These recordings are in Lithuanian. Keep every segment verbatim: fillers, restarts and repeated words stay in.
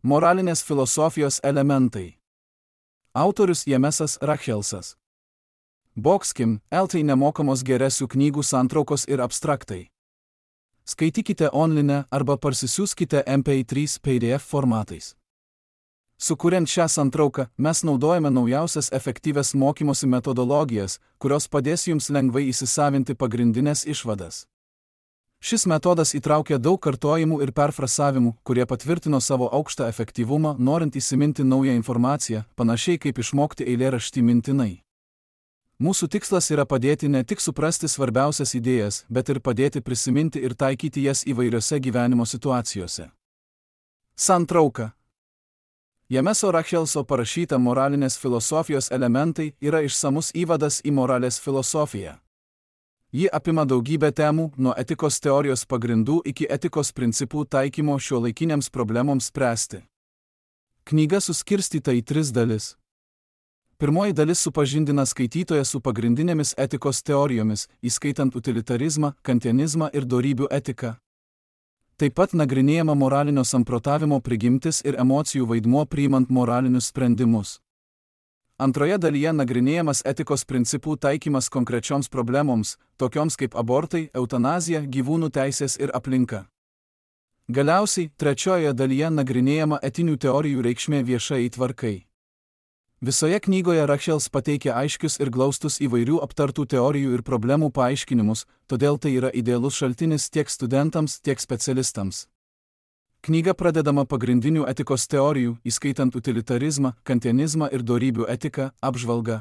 Moralinės filosofijos elementai. Autorius Jemesas Rachelsas. Bokskim, eltai nemokamos geresių knygų santraukos ir abstraktai. Skaitykite online arba parsisiųskite M P trys P D F formatais. Sukuriant šią santrauką, mes naudojame naujausias efektyvias mokymosi metodologijas, kurios padės jums lengvai įsisavinti pagrindinės išvadas. Šis metodas įtraukia daug kartojimų ir perfrasavimų, kurie patvirtino savo aukštą efektyvumą, norint įsiminti naują informaciją, panašiai kaip išmokti eilėraštį mintinai. Mūsų tikslas yra padėti ne tik suprasti svarbiausias idėjas, bet ir padėti prisiminti ir taikyti jas įvairiose gyvenimo situacijose. Santrauka. Jemeso Rachelso parašyta moralinės filosofijos elementai yra išsamus įvadas į moralės filosofiją. Ji apima daugybę temų, nuo etikos teorijos pagrindų iki etikos principų taikymo šiuolaikiniams problemoms spręsti. Knyga suskirstyta į tris dalis. Pirmoji dalis supažindina skaitytoją su pagrindinėmis etikos teorijomis, įskaitant utilitarizmą, kantianizmą ir dorybių etiką. Taip pat nagrinėjama moralinio samprotavimo prigimtis ir emocijų vaidmuo priimant moralinius sprendimus. Antroje dalyje nagrinėjamas etikos principų taikymas konkrečioms problemoms, tokioms kaip abortai, eutanazija, gyvūnų teisės ir aplinka. Galiausiai, trečiojoje dalyje nagrinėjama etinių teorijų reikšmė viešai tvarkai. Visoje knygoje Rachels pateikia aiškius ir glaustus įvairių aptartų teorijų ir problemų paaiškinimus, todėl tai yra idealus šaltinis tiek studentams, tiek specialistams. Knyga pradedama pagrindinių etikos teorijų, įskaitant utilitarizmą, kantianizmą ir dorybių etiką, apžvalga.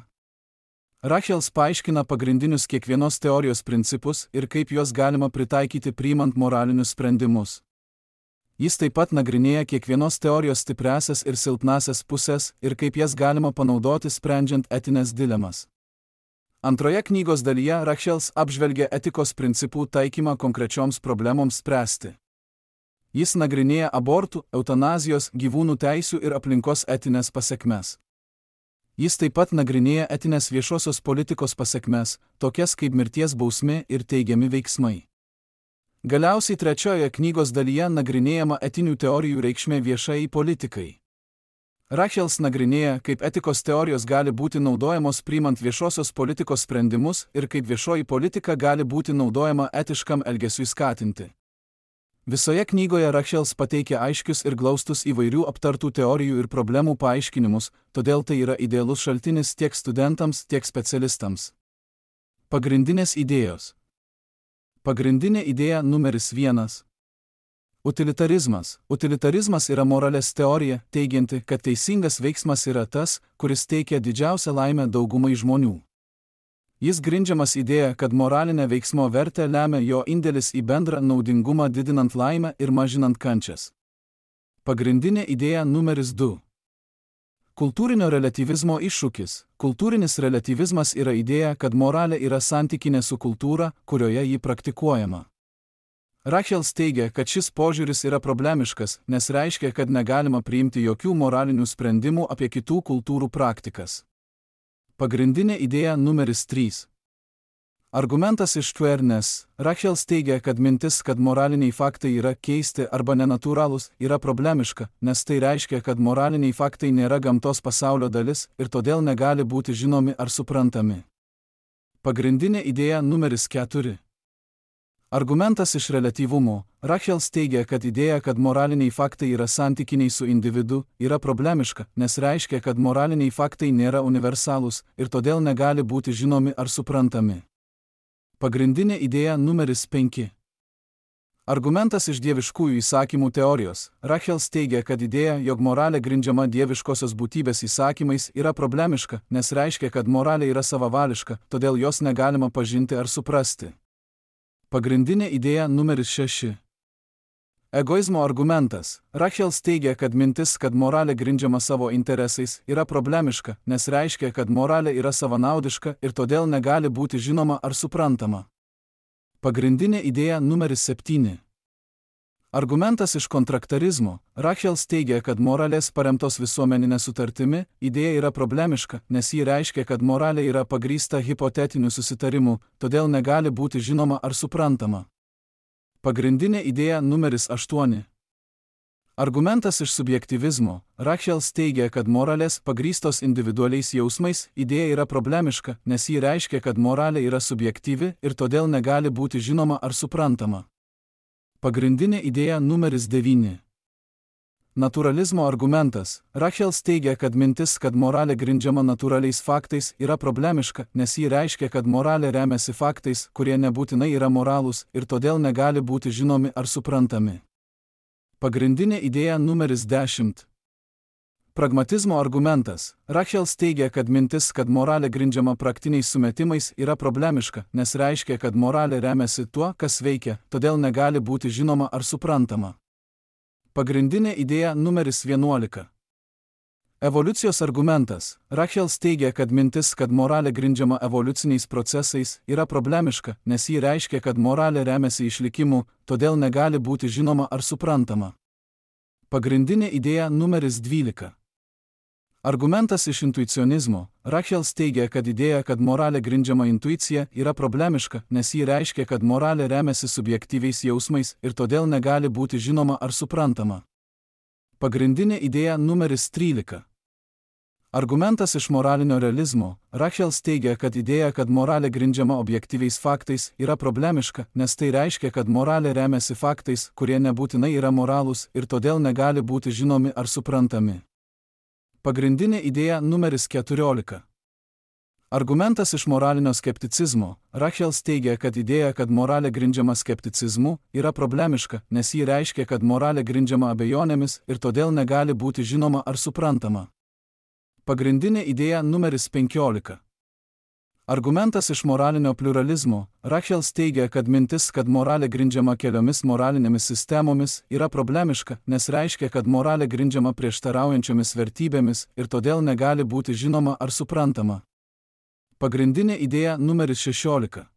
Rachels paaiškina pagrindinius kiekvienos teorijos principus ir kaip juos galima pritaikyti priimant moralinius sprendimus. Jis taip pat nagrinėja kiekvienos teorijos stipriąsias ir silpnąsias pusės ir kaip jas galima panaudoti sprendžiant etinės dilemas. Antroje knygos dalyje Rachels apžvelgia etikos principų taikymą konkrečioms problemoms spręsti. Jis nagrinėja abortų, eutanazijos, gyvūnų teisių ir aplinkos etinės pasekmes. Jis taip pat nagrinėja etinės viešosios politikos pasekmes, tokias kaip mirties bausmė ir teigiami veiksmai. Galiausiai trečiojoje knygos dalyje nagrinėjama etinių teorijų reikšmė viešai politikai. Rachels nagrinėja, kaip etikos teorijos gali būti naudojamos priimant viešosios politikos sprendimus ir kaip viešoji politika gali būti naudojama etiškam elgesiui skatinti. Visoje knygoje Rachels pateikia aiškius ir glaustus įvairių aptartų teorijų ir problemų paaiškinimus, todėl tai yra idealus šaltinis tiek studentams, tiek specialistams. Pagrindinės idėjos. Pagrindinė idėja numeris vienas. Utilitarizmas. Utilitarizmas yra moralės teorija, teigianti, kad teisingas veiksmas yra tas, kuris teikia didžiausią laimę daugumai žmonių. Jis grindžiamas idėja, kad moralinę veiksmo vertę lemia jo indėlis į bendrą naudingumą didinant laimę ir mažinant kančias. Pagrindinė idėja numeris du. Kultūrinio reliatyvizmo iššūkis. Kultūrinis reliatyvizmas yra idėja, kad moralė yra santykinė su kultūra, kurioje ji praktikuojama. Rachels teigia, kad šis požiūris yra problemiškas, nes reiškia, kad negalima priimti jokių moralinių sprendimų apie kitų kultūrų praktikas. Pagrindinė idėja numeris trys. Argumentas iš Tvernes. Rachels teigia, kad mintis, kad moraliniai faktai yra keisti arba nenatūralūs, yra problemiška, nes tai reiškia, kad moraliniai faktai nėra gamtos pasaulio dalis ir todėl negali būti žinomi ar suprantami. Pagrindinė idėja numeris keturi. Argumentas iš reliatyvumo. Rachels teigia, kad idėja, kad moraliniai faktai yra santykiniai su individu, yra problemiška, nes reiškia, kad moraliniai faktai nėra universalūs ir todėl negali būti žinomi ar suprantami. Pagrindinė idėja numeris penki. Argumentas iš dieviškųjų įsakymų teorijos. Rachels teigia, kad idėja, jog moralė grindžiama dieviškosios būtybės įsakymais, yra problemiška, nes reiškia, kad moralė yra savavališka, todėl jos negalima pažinti ar suprasti. Pagrindinė idėja numeris šeši. Egoizmo argumentas. Rachels teigia, kad mintis, kad moralė grindžiama savo interesais, yra problemiška, nes reiškia, kad moralė yra savanaudiška ir todėl negali būti žinoma ar suprantama. Pagrindinė idėja numeris septyni. Argumentas iš kontraktarizmo. Rachels teigia, kad moralės paremtos visuomeninė sutartimi idėja yra problemiška, nes ji reiškia, kad moralė yra pagrįsta hipotetiniu susitarimu, todėl negali būti žinoma ar suprantama. Pagrindinė idėja numeris aštuoni. Argumentas iš subjektyvizmo. Rachels teigia, kad moralės pagrįstos individualiais jausmais idėja yra problemiška, nes ji reiškia, kad moralė yra subjektyvi ir todėl negali būti žinoma ar suprantama. Pagrindinė idėja numeris devyni. Naturalizmo argumentas. Rachels teigia, kad mintis, kad moralė grindžiama natūraliais faktais, yra problemiška, nes ji reiškia, kad moralė remiasi faktais, kurie nebūtinai yra moralūs ir todėl negali būti žinomi ar suprantami. Pagrindinė idėja numeris dešimt. Pragmatizmo argumentas. Rachels teigia, kad mintis, kad moralė grindžiama praktiniais sumetimais, yra problemiška, nes reiškia, kad moralė remiasi tuo, kas veikia, todėl negali būti žinoma ar suprantama. Pagrindinė idėja numeris vienuolika. Evoliucijos argumentas. Rachels teigia, kad mintis, kad moralė grindžiama evoliuciniais procesais, yra problemiška, nes ji reiškia, kad moralė remiasi išlikimu, todėl negali būti žinoma ar suprantama. Pagrindinė idėja numeris dvylika. Argumentas iš intuicionizmo. Rachels teigia, kad idėja, kad moralė grindžiama intuicija, yra problemiška, nes ji reiškia, kad moralė remiasi subjektyviais jausmais ir todėl negali būti žinoma ar suprantama. Pagrindinė idėja numeris trylika. Argumentas iš moralinio realizmo. Rachels teigia, kad idėja, kad moralė grindžiama objektyviais faktais, yra problemiška, nes tai reiškia, kad moralė remiasi faktais, kurie nebūtinai yra moralūs ir todėl negali būti žinomi ar suprantami. Pagrindinė idėja numeris keturiolika. Argumentas iš moralinio skepticizmo. Rachels teigia, kad idėja, kad moralė grindžiama skepticizmu, yra problemiška, nes ji reiškia, kad moralė grindžiama abejonėmis ir todėl negali būti žinoma ar suprantama. Pagrindinė idėja numeris penkiolika. Argumentas iš moralinio pluralizmo. Rachels teigia, kad mintis, kad moralė grindžiama keliomis moralinėmis sistemomis, yra problemiška, nes reiškia, kad moralė grindžiama prieštaraujančiomis vertybėmis ir todėl negali būti žinoma ar suprantama. Pagrindinė idėja numeris šešiolika.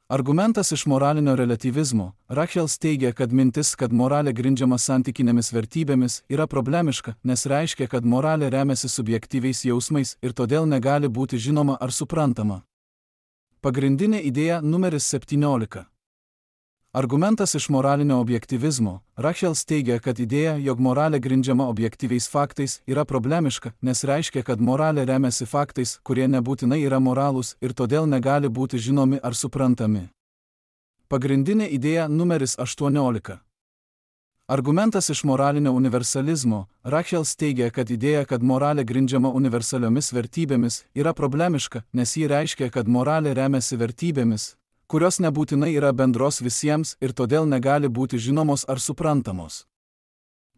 Argumentas iš moralinio relatyvizmo. Rachels teigia, kad mintis, kad moralė grindžiama santykinėmis vertybėmis, yra problemiška, nes reiškia, kad moralė remiasi subjektyviais jausmais ir todėl negali būti žinoma ar suprantama. Pagrindinė idėja numeris septyniolika. Argumentas iš moralinio objektyvizmo. Rachels teigia, kad idėja, jog moralė grindžiama objektyviais faktais, yra problemiška, nes reiškia, kad moralė remiasi faktais, kurie nebūtinai yra moralūs ir todėl negali būti žinomi ar suprantami. Pagrindinė idėja numeris aštuoniolika. Argumentas iš moralinio universalizmo. Rachels teigia, kad idėja, kad moralė grindžiama universaliomis vertybėmis, yra problemiška, nes ji reiškia, kad moralė remiasi vertybėmis, kurios nebūtinai yra bendros visiems ir todėl negali būti žinomos ar suprantamos.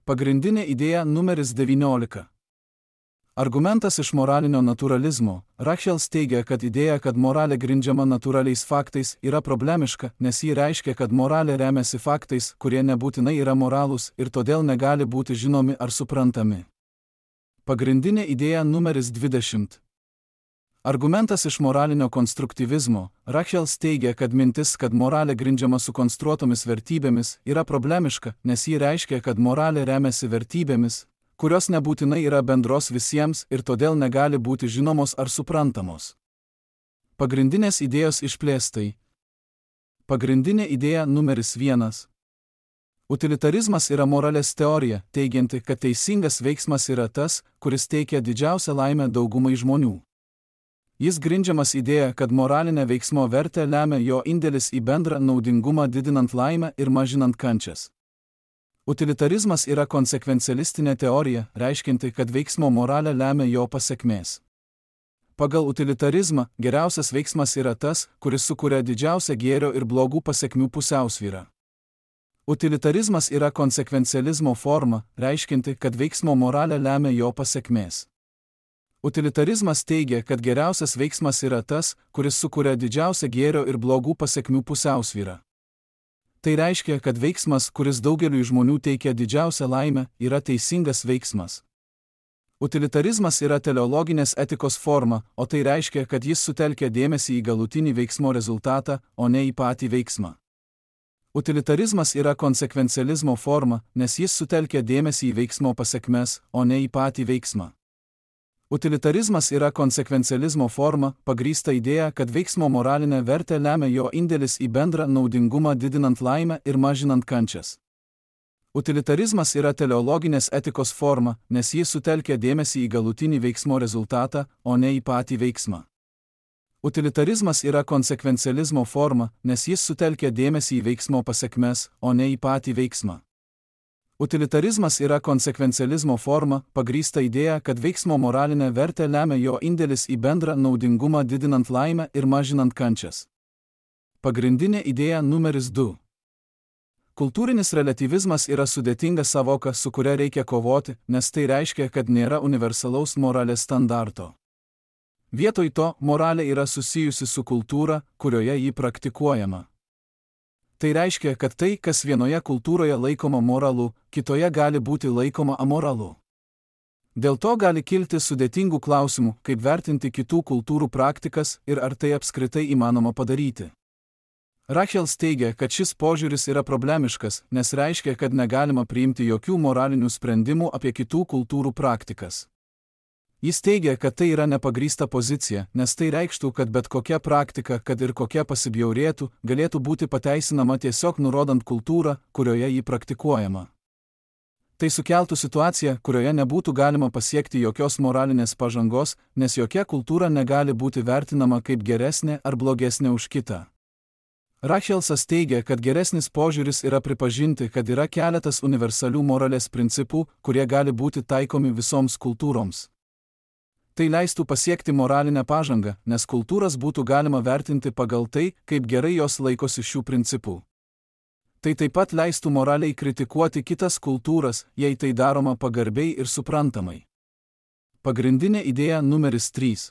Pagrindinė idėja numeris devyniolika. Argumentas iš moralinio naturalizmo. Rachels teigia, kad idėja, kad moralė grindžiama natūraliais faktais, yra problemiška, nes ji reiškia, kad moralė remiasi faktais, kurie nebūtinai yra moralūs ir todėl negali būti žinomi ar suprantami. Pagrindinė idėja numeris dvidešimt. Argumentas iš moralinio konstruktyvizmo. Rachels teigia, kad mintis, kad moralė grindžiama sukonstruotomis vertybėmis, yra problemiška, nes ji reiškia, kad moralė remiasi vertybėmis, kurios nebūtinai yra bendros visiems ir todėl negali būti žinomos ar suprantamos. Pagrindinės idėjos išplėstai. Pagrindinė idėja numeris vienas. Utilitarizmas yra moralės teorija, teigianti, kad teisingas veiksmas yra tas, kuris teikia didžiausią laimę daugumai žmonių. Jis grindžiamas idėja, kad moralinė veiksmo vertė lemia jo indėlis į bendrą naudingumą didinant laimę ir mažinant kančias. Utilitarizmas yra konsekvencialistinė teorija, reiškianti, kad veiksmo moralė lemia jo pasekmės. Pagal utilitarizmą, geriausias veiksmas yra tas, kuris sukuria didžiausią gėrio ir blogų pasekmių pusiausvyrą. Utilitarizmas yra konsekvencializmo forma, reiškianti, kad veiksmo moralė lemia jo pasekmės. Utilitarizmas teigia, kad geriausias veiksmas yra tas, kuris sukuria didžiausią gėrio ir blogų pasekmių pusiausvyrą. Tai reiškia, kad veiksmas, kuris daugeliui žmonių teikia didžiausią laimę, yra teisingas veiksmas. Utilitarizmas yra teleologinės etikos forma, o tai reiškia, kad jis sutelkia dėmesį į galutinį veiksmo rezultatą, o ne į patį veiksmą. Utilitarizmas yra konsekvencializmo forma, nes jis sutelkia dėmesį į veiksmo pasekmes, o ne į patį veiksmą. Utilitarizmas yra konsekvencializmo forma, pagrįsta idėja, kad veiksmo moralinė vertė lemia jo indėlis į bendrą naudingumą didinant laimę ir mažinant kančias. Utilitarizmas yra teleologinės etikos forma, nes jis sutelkia dėmesį į galutinį veiksmo rezultatą, o ne į patį veiksmą. Utilitarizmas yra konsekvencializmo forma, nes jis sutelkia dėmesį į veiksmo pasekmes, o ne į patį veiksmą. Utilitarizmas yra konsekvencializmo forma, pagrįsta idėja, kad veiksmo moralinę vertę lemia jo indėlis į bendrą naudingumą didinant laimę ir mažinant kančias. Pagrindinė idėja numeris du. Kultūrinis relatyvizmas yra sudėtinga savoka, su kuria reikia kovoti, nes tai reiškia, kad nėra universalaus moralės standarto. Vietoj to, moralė yra susijusi su kultūra, kurioje ji praktikuojama. Tai reiškia, kad tai, kas vienoje kultūroje laikoma moralu, kitoje gali būti laikoma amoralu. Dėl to gali kilti sudėtingų klausimų, kaip vertinti kitų kultūrų praktikas ir ar tai apskritai įmanoma padaryti. Rachels teigia, kad šis požiūris yra problemiškas, nes reiškia, kad negalima priimti jokių moralinių sprendimų apie kitų kultūrų praktikas. Jis teigia, kad tai yra nepagrįsta pozicija, nes tai reikštų, kad bet kokia praktika, kad ir kokia pasibjaurėtų, galėtų būti pateisinama tiesiog nurodant kultūrą, kurioje ji praktikuojama. Tai sukeltų situaciją, kurioje nebūtų galima pasiekti jokios moralinės pažangos, nes jokia kultūra negali būti vertinama kaip geresnė ar blogesnė už kitą. Rachelsas teigia, kad geresnis požiūris yra pripažinti, kad yra keletas universalių moralės principų, kurie gali būti taikomi visoms kultūroms. Tai leistų pasiekti moralinę pažangą, nes kultūras būtų galima vertinti pagal tai, kaip gerai jos laikosi šių principų. Tai taip pat leistų moraliai kritikuoti kitas kultūras, jei tai daroma pagarbiai ir suprantamai. Pagrindinė idėja numeris trys.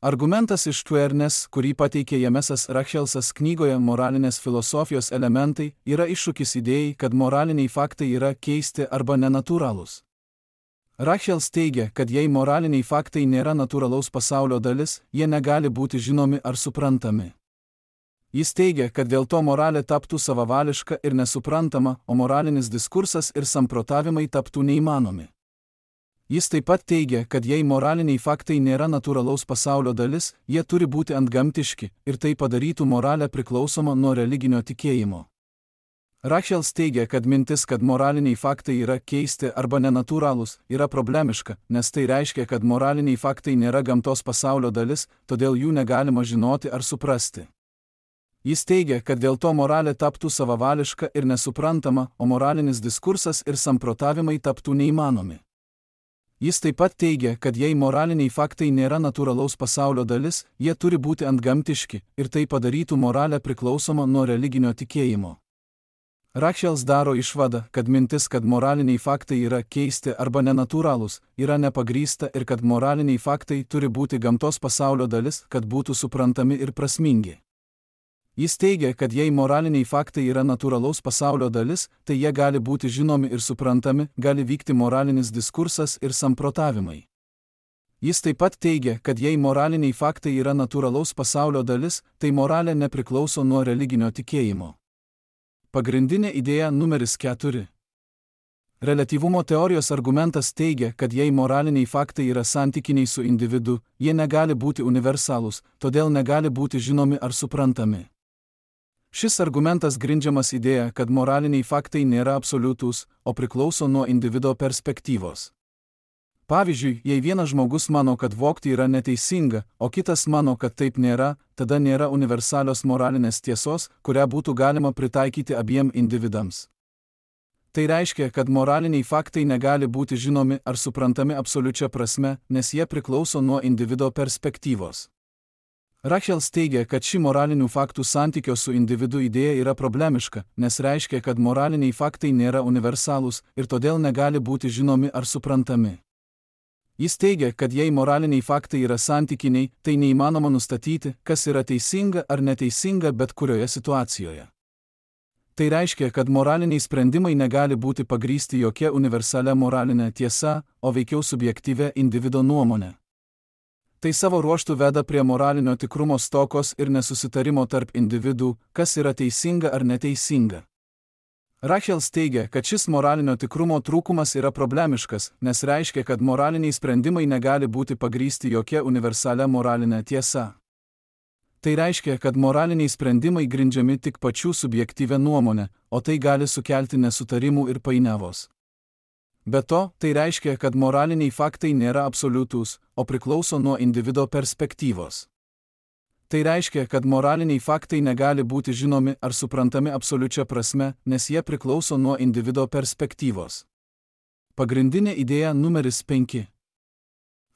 Argumentas iš Tvernes, kurį pateikė Jamesas Rachelsas knygoje Moralinės filosofijos elementai, yra iššūkis idėjai, kad moraliniai faktai yra keisti arba nenatūralūs. Rachels teigia, kad jei moraliniai faktai nėra natūralaus pasaulio dalis, jie negali būti žinomi ar suprantami. Jis teigia, kad dėl to moralė taptų savavališka ir nesuprantama, o moralinis diskursas ir samprotavimai taptų neįmanomi. Jis taip pat teigia, kad jei moraliniai faktai nėra natūralaus pasaulio dalis, jie turi būti antgamtiški ir tai padarytų moralę priklausomą nuo religinio tikėjimo. Rachels teigia, kad mintis, kad moraliniai faktai yra keisti arba nenatūralūs, yra problemiška, nes tai reiškia, kad moraliniai faktai nėra gamtos pasaulio dalis, todėl jų negalima žinoti ar suprasti. Jis teigia, kad dėl to moralė taptų savavališka ir nesuprantama, o moralinis diskursas ir samprotavimai taptų neįmanomi. Jis taip pat teigia, kad jei moraliniai faktai nėra natūralaus pasaulio dalis, jie turi būti antgamtiški ir tai padarytų moralę priklausomą nuo religinio tikėjimo. Rachels daro išvadą, kad mintis, kad moraliniai faktai yra keisti arba nenatūralūs, yra nepagrįsta ir kad moraliniai faktai turi būti gamtos pasaulio dalis, kad būtų suprantami ir prasmingi. Jis teigia, kad jei moraliniai faktai yra natūralaus pasaulio dalis, tai jie gali būti žinomi ir suprantami, gali vykti moralinis diskursas ir samprotavimai. Jis taip pat teigia, kad jei moraliniai faktai yra natūralaus pasaulio dalis, tai moralė nepriklauso nuo religinio tikėjimo. Pagrindinė idėja numeris keturi. Reliatyvumo teorijos argumentas teigia, kad jei moraliniai faktai yra santykiniai su individu, jie negali būti universalūs, todėl negali būti žinomi ar suprantami. Šis argumentas grindžiamas idėja, kad moraliniai faktai nėra absoliutūs, o priklauso nuo individo perspektyvos. Pavyzdžiui, jei vienas žmogus mano, kad vogti yra neteisinga, o kitas mano, kad taip nėra, tada nėra universalios moralinės tiesos, kurią būtų galima pritaikyti abiem individams. Tai reiškia, kad moraliniai faktai negali būti žinomi ar suprantami absoliučia prasme, nes jie priklauso nuo individo perspektyvos. Rachels teigia, kad ši moralinių faktų santykio su individu idėja yra problemiška, nes reiškia, kad moraliniai faktai nėra universalūs ir todėl negali būti žinomi ar suprantami. Jis teigia, kad jei moraliniai faktai yra santykiniai, tai neįmanoma nustatyti, kas yra teisinga ar neteisinga bet kurioje situacijoje. Tai reiškia, kad moraliniai sprendimai negali būti pagrįsti jokia universalia moralinė tiesa, o veikiau subjektyvia individo nuomonė. Tai savo ruožtu veda prie moralinio tikrumo stokos ir nesusitarimo tarp individų, kas yra teisinga ar neteisinga. Rachels teigia, kad šis moralinio tikrumo trūkumas yra problemiškas, nes reiškia, kad moraliniai sprendimai negali būti pagrįsti jokia universalia moralinė tiesa. Tai reiškia, kad moraliniai sprendimai grindžiami tik pačių subjektyvę nuomonę, o tai gali sukelti nesutarimų ir painiavos. Be to, tai reiškia, kad moraliniai faktai nėra absoliutūs, o priklauso nuo individo perspektyvos. Tai reiškia, kad moraliniai faktai negali būti žinomi ar suprantami absoliučia prasme, nes jie priklauso nuo individo perspektyvos. Pagrindinė idėja numeris penki.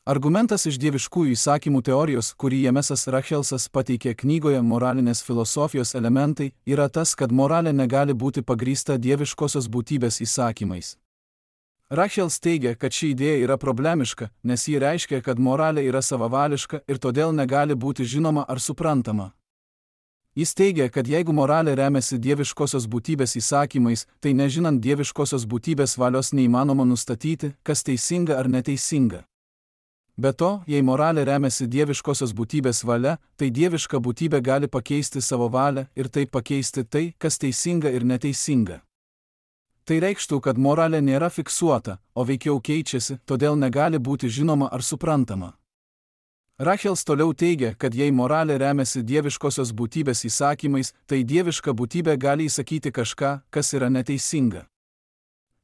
Argumentas iš dieviškųjų įsakymų teorijos, kurį Jemesas Rachelsas pateikė knygoje Moralinės filosofijos elementai, yra tas, kad moralė negali būti pagrįsta dieviškosios būtybės įsakymais. Rachels teigia, kad ši idėja yra problemiška, nes ji reiškia, kad moralė yra savavališka ir todėl negali būti žinoma ar suprantama. Jis teigia, kad jeigu moralė remiasi dieviškosios būtybės įsakymais, tai nežinant dieviškosios būtybės valios neįmanoma nustatyti, kas teisinga ar neteisinga. Be to, jei moralė remiasi dieviškosios būtybės valia, tai dieviška būtybė gali pakeisti savo valią ir taip pakeisti tai, kas teisinga ir neteisinga. Tai reikštų, kad moralė nėra fiksuota, o veikiau keičiasi, todėl negali būti žinoma ar suprantama. Rachels toliau teigia, kad jei moralė remiasi dieviškosios būtybės įsakymais, tai dieviška būtybė gali įsakyti kažką, kas yra neteisinga.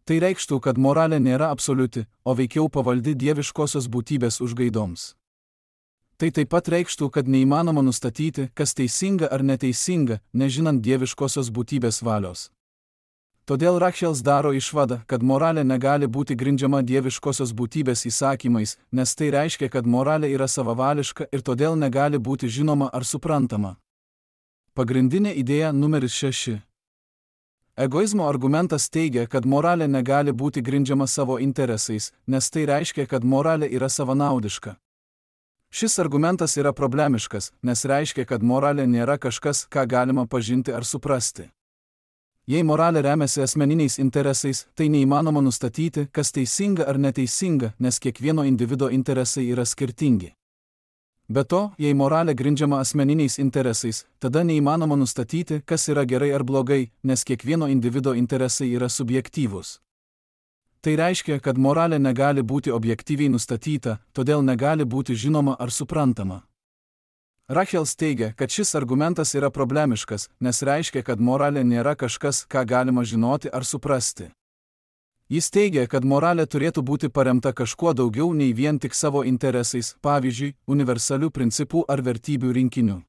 Tai reikštų, kad moralė nėra absoliuti, o veikiau pavaldi dieviškosios būtybės užgaidoms. Tai taip pat reikštų, kad neįmanoma nustatyti, kas teisinga ar neteisinga, nežinant dieviškosios būtybės valios. Todėl Rachels daro išvadą, kad moralė negali būti grindžiama dieviškosios būtybės įsakymais, nes tai reiškia, kad moralė yra savavališka ir todėl negali būti žinoma ar suprantama. Pagrindinė idėja numeris šeši. Egoizmo argumentas teigia, kad moralė negali būti grindžiama savo interesais, nes tai reiškia, kad moralė yra savanaudiška. Šis argumentas yra problemiškas, nes reiškia, kad moralė nėra kažkas, ką galima pažinti ar suprasti. Jei moralė remiasi asmeniniais interesais, tai neįmanoma nustatyti, kas teisinga ar neteisinga, nes kiekvieno individo interesai yra skirtingi. Be to, jei moralė grindžiama asmeniniais interesais, tada neįmanoma nustatyti, kas yra gerai ar blogai, nes kiekvieno individo interesai yra subjektyvūs. Tai reiškia, kad moralė negali būti objektyviai nustatyta, todėl negali būti žinoma ar suprantama. Rachels teigia, kad šis argumentas yra problemiškas, nes reiškia, kad moralė nėra kažkas, ką galima žinoti ar suprasti. Jis teigia, kad moralė turėtų būti paremta kažkuo daugiau nei vien tik savo interesais, pavyzdžiui, universalių principų ar vertybių rinkiniu.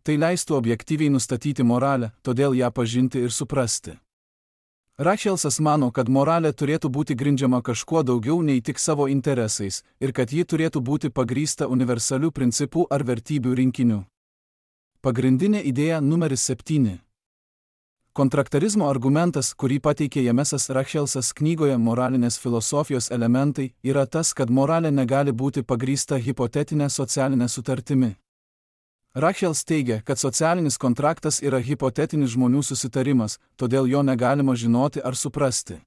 Tai leistų objektyviai nustatyti moralę, todėl ją pažinti ir suprasti. Rachelsas mano, kad moralė turėtų būti grindžiama kažkuo daugiau nei tik savo interesais ir kad ji turėtų būti pagrįsta universalių principų ar vertybių rinkiniu. Pagrindinė idėja numeris septyni. Kontraktarizmo argumentas, kurį pateikė Jemesas Rachelsas knygoje Moralinės filosofijos elementai, yra tas, kad moralė negali būti pagrįsta hipotetinė socialinė sutartimi. Rachels teigia, kad socialinis kontraktas yra hipotetinis žmonių susitarimas, todėl jo negalima žinoti ar suprasti.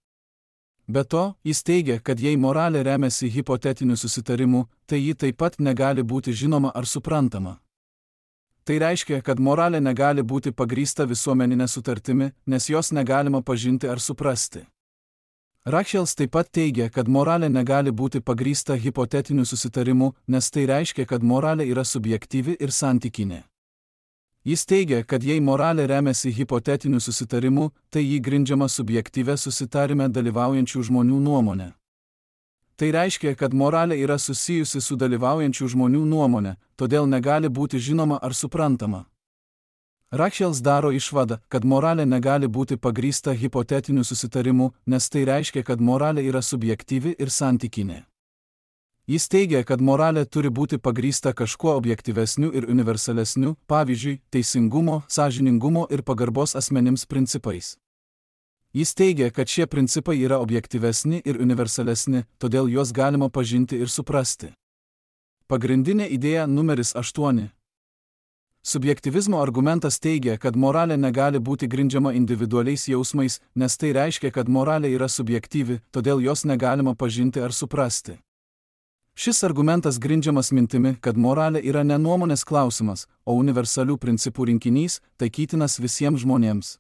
Be to, jis teigia, kad jei moralė remiasi hipotetiniu susitarimu, tai ji taip pat negali būti žinoma ar suprantama. Tai reiškia, kad moralė negali būti pagrįsta visuomeninė sutartimi, nes jos negalima pažinti ar suprasti. Rachels taip pat teigia, kad moralė negali būti pagrįsta hipotetiniu susitarimu, nes tai reiškia, kad moralė yra subjektyvi ir santykinė. Jis teigia, kad jei moralė remiasi hipotetiniu susitarimu, tai jį grindžiama subjektyvia susitarime dalyvaujančių žmonių nuomonė. Tai reiškia, kad moralė yra susijusi su dalyvaujančių žmonių nuomonė, todėl negali būti žinoma ar suprantama. Rachels daro išvadą, kad moralė negali būti pagrįsta hipotetiniu susitarimu, nes tai reiškia, kad moralė yra subjektyvi ir santykinė. Jis teigia, kad moralė turi būti pagrįsta kažkuo objektyvesniu ir universalesniu, pavyzdžiui, teisingumo, sąžiningumo ir pagarbos asmenims principais. Jis teigia, kad šie principai yra objektyvesni ir universalesni, todėl juos galima pažinti ir suprasti. Pagrindinė idėja numeris aštuoni. Subjektyvizmo argumentas teigia, kad moralė negali būti grindžiama individualiais jausmais, nes tai reiškia, kad moralė yra subjektyvi, todėl jos negalima pažinti ar suprasti. Šis argumentas grindžiamas mintimi, kad moralė yra ne nuomonės klausimas, o universalių principų rinkinys, taikytinas visiems žmonėms.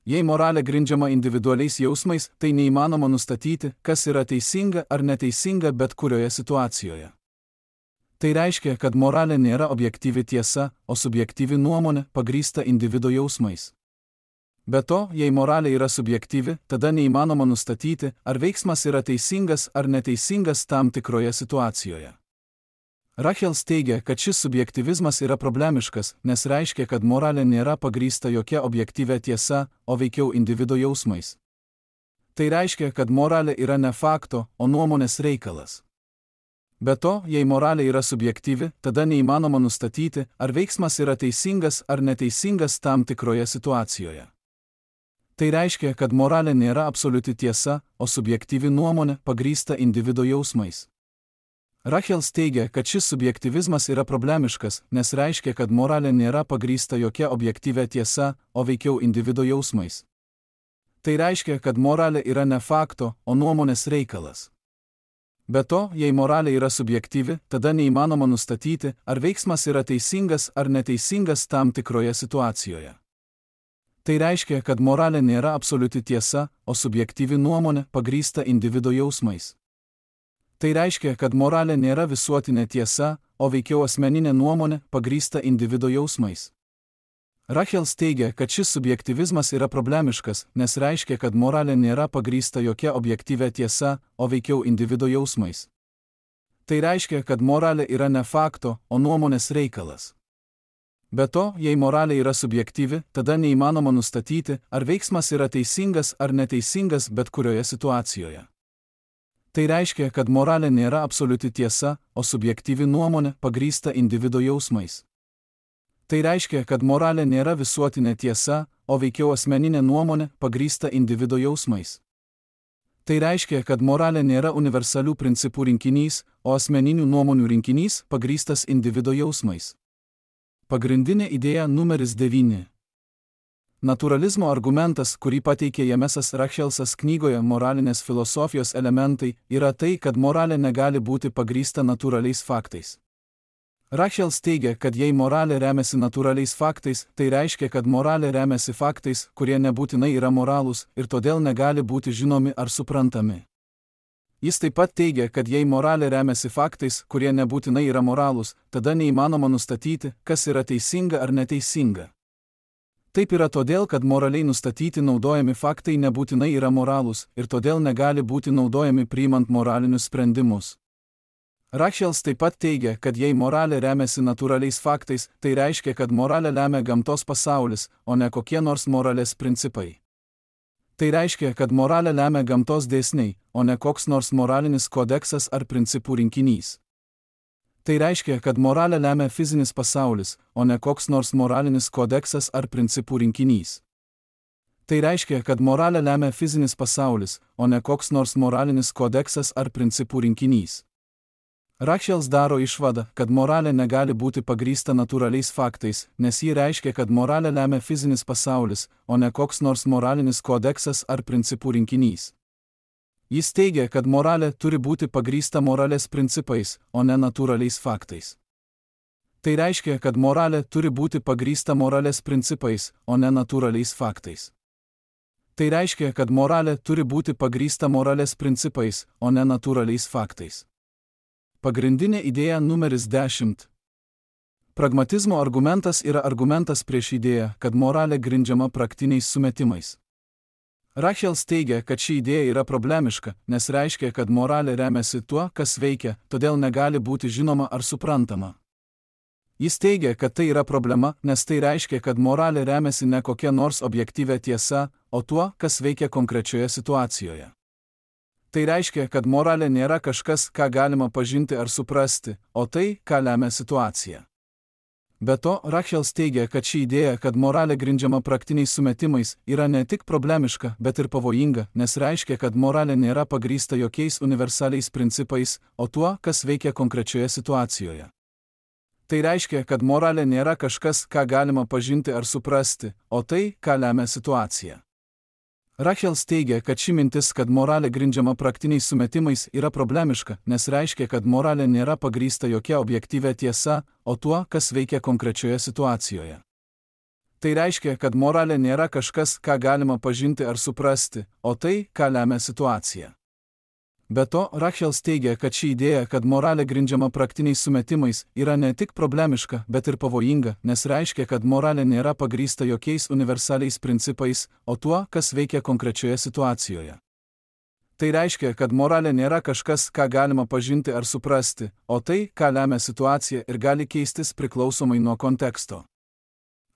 Jei moralė grindžiama individualiais jausmais, tai neįmanoma nustatyti, kas yra teisinga ar neteisinga bet kurioje situacijoje. Tai reiškia, kad moralė nėra objektyvi tiesa, o subjektyvi nuomonė pagrįsta individo jausmais. Be to, jei moralė yra subjektyvi, tada neįmanoma nustatyti, ar veiksmas yra teisingas ar neteisingas tam tikroje situacijoje. Rachels teigia, kad šis subjektyvizmas yra problemiškas, nes reiškia, kad moralė nėra pagrįsta jokia objektyvia tiesa, o veikiau individo jausmais. Tai reiškia, kad moralė yra ne fakto, o nuomonės reikalas. Be to, jei moralė yra subjektyvi, tada neįmanoma nustatyti, ar veiksmas yra teisingas ar neteisingas tam tikroje situacijoje. Tai reiškia, kad moralė nėra absoliuti tiesa, o subjektyvi nuomonė pagrįsta individo jausmais. Rachels teigia, kad šis subjektyvizmas yra problemiškas, nes reiškia, kad moralė nėra pagrįsta jokia objektyvia tiesa, o veikiau individo jausmais. Tai reiškia, kad moralė yra ne fakto, o nuomonės reikalas. Be to, jei moralė yra subjektyvi, tada neįmanoma nustatyti, ar veiksmas yra teisingas ar neteisingas tam tikroje situacijoje. Tai reiškia, kad moralė nėra absoliuti tiesa, o subjektyvi nuomonė pagrįsta individo jausmais. Tai reiškia, kad moralė nėra visuotinė tiesa, o veikiau asmeninė nuomonė pagrįsta individo jausmais. Rachels teigia, kad šis subjektyvizmas yra problemiškas, nes reiškia, kad moralė nėra pagrįsta jokia objektyvia tiesa, o veikiau individo jausmais. Tai reiškia, kad moralė yra ne fakto, o nuomonės reikalas. Be to, jei moralė yra subjektyvi, tada neįmanoma nustatyti, ar veiksmas yra teisingas ar neteisingas bet kurioje situacijoje. Tai reiškia, kad moralė nėra absoliuti tiesa, o subjektyvi nuomonė pagrįsta individo jausmais. Tai reiškia, kad moralė nėra visuotinė tiesa, o veikiau asmeninė nuomonė pagrįsta individo jausmais. Tai reiškia, kad moralė nėra universalių principų rinkinys, o asmeninių nuomonių rinkinys pagrįstas individo jausmais. Pagrindinė idėja numeris devyni. Naturalizmo argumentas, kurį pateikė Jamesas Rachelsas knygoje Moralinės filosofijos elementai, yra tai, kad moralė negali būti pagrįsta natūraliais faktais. Rachels teigia, kad jei moralė remiasi natūraliais faktais, tai reiškia, kad moralė remiasi faktais, kurie nebūtinai yra moralūs ir todėl negali būti žinomi ar suprantami. Jis taip pat teigia, kad jei moralė remiasi faktais, kurie nebūtinai yra moralūs, tada neįmanoma nustatyti, kas yra teisinga ar neteisinga. Taip yra todėl, kad moraliai nustatyti naudojami faktai nebūtinai yra moralūs ir todėl negali būti naudojami priimant moralinius sprendimus. Rachels taip pat teigia, kad jei moralė remiasi natūraliais faktais, tai reiškia, kad moralę lemia gamtos pasaulis, o ne kokie nors moralės principai. Tai reiškia, kad moralę lemia gamtos dėsniai, o ne koks nors moralinis kodeksas ar principų rinkinys. Tai reiškia, kad moralę lemia fizinis pasaulis, o ne koks nors moralinis kodeksas ar principų rinkinys. Tai reiškia, kad moralę lemia fizinis pasaulis, o ne koks nors moralinis kodeksas ar principų rinkinys. Rachels daro išvadą, kad moralė negali būti pagrįsta natūraliais faktais, nes ji reiškia, kad moralę lemia fizinis pasaulis, o ne koks nors moralinis kodeksas ar principų rinkinys. Jis teigia, kad moralė turi būti pagrįsta moralės principais, o ne natūraliais faktais. Tai reiškia, kad moralė turi būti pagrįsta moralės principais, o ne natūraliais faktais. Tai reiškia, kad moralė turi būti pagrįsta moralės principais, o ne natūraliais faktais. Pagrindinė idėja numeris dešimt. Pragmatizmo argumentas yra argumentas prieš idėją, kad moralė grindžiama praktiniais sumetimais. Rachels teigia, kad ši idėja yra problemiška, nes reiškia, kad moralė remiasi tuo, kas veikia, todėl negali būti žinoma ar suprantama. Jis teigia, kad tai yra problema, nes tai reiškia, kad moralė remiasi ne kokia nors objektyvia tiesa, o tuo, kas veikia konkrečioje situacijoje. Tai reiškia, kad moralė nėra kažkas, ką galima pažinti ar suprasti, o tai, ką lemia situacija. Be to, Rachels teigia, kad ši idėja, kad moralė grindžiama praktiniais sumetimais, yra ne tik problemiška, bet ir pavojinga, nes reiškia, kad moralė nėra pagrįsta jokiais universaliais principais, o tuo, kas veikia konkrečioje situacijoje. Tai reiškia, kad moralė nėra kažkas, ką galima pažinti ar suprasti, o tai, ką lemia situacija. Rachels teigia, kad ši mintis, kad moralė grindžiama praktiniais sumetimais, yra problemiška, nes reiškia, kad moralė nėra pagrįsta jokia objektyvia tiesa, o tuo, kas veikia konkrečioje situacijoje. Tai reiškia, kad moralė nėra kažkas, ką galima pažinti ar suprasti, o tai, ką lemia situacija. Be to, Rachel teigia, kad ši idėja, kad moralė grindžiama praktiniais sumetimais, yra ne tik problemiška, bet ir pavojinga, nes reiškia, kad moralė nėra pagrįsta jokiais universaliais principais, o tuo, kas veikia konkrečioje situacijoje. Tai reiškia, kad moralė nėra kažkas, ką galima pažinti ar suprasti, o tai, ką lemia situacija ir gali keistis priklausomai nuo konteksto.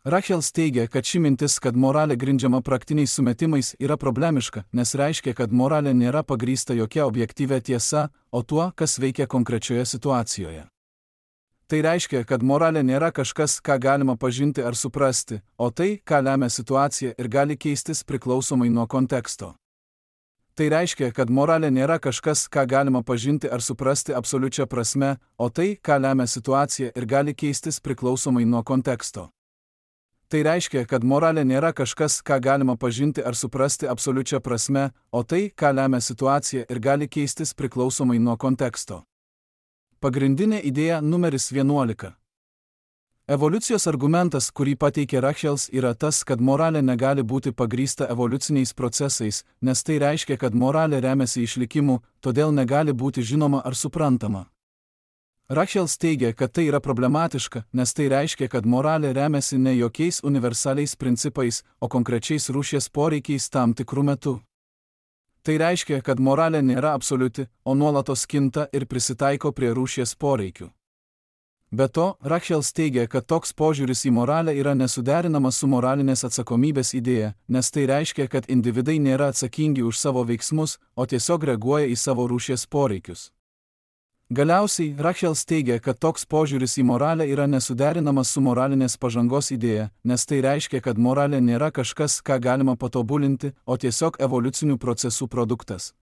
Rachel teigia, kad ši mintis, kad moralė grindžiama praktiniais sumetimais, yra problemiška, nes reiškia, kad moralė nėra pagrįsta jokia objektyvia tiesa, o tuo, kas veikia konkrečioje situacijoje. Tai reiškia, kad moralė nėra kažkas, ką galima pažinti ar suprasti, o tai, ką lemia situacija ir gali keistis priklausomai nuo konteksto. Tai reiškia, kad moralė nėra kažkas, ką galima pažinti ar suprasti absoliučia prasme, o tai, ką lemia situacija ir gali keistis priklausomai nuo konteksto. Tai reiškia, kad moralė nėra kažkas, ką galima pažinti ar suprasti absoliučia prasme, o tai, ką lemia situacija ir gali keistis priklausomai nuo konteksto. Pagrindinė idėja numeris vienuolika. Evoliucijos argumentas, kurį pateikė Rachel, yra tas, kad moralė negali būti pagrįsta evoliuciniais procesais, nes tai reiškia, kad moralė remiasi išlikimu, todėl negali būti žinoma ar suprantama. Rachel teigia, kad tai yra problematiška, nes tai reiškia, kad moralė remiasi ne jokiais universaliais principais, o konkrečiais rūšies poreikiais tam tikrų metų. Tai reiškia, kad moralė nėra absoliuti, o nuolatos kinta ir prisitaiko prie rūšies poreikių. Be to, Rachel teigia, kad toks požiūris į moralę yra nesuderinamas su moralinės atsakomybės idėja, nes tai reiškia, kad individai nėra atsakingi už savo veiksmus, o tiesiog reaguoja į savo rūšies poreikius. Galiausiai, Rachel teigia, kad toks požiūris į moralę yra nesuderinamas su moralinės pažangos idėja, nes tai reiškia, kad moralė nėra kažkas, ką galima patobulinti, o tiesiog evoliucinių procesų produktas.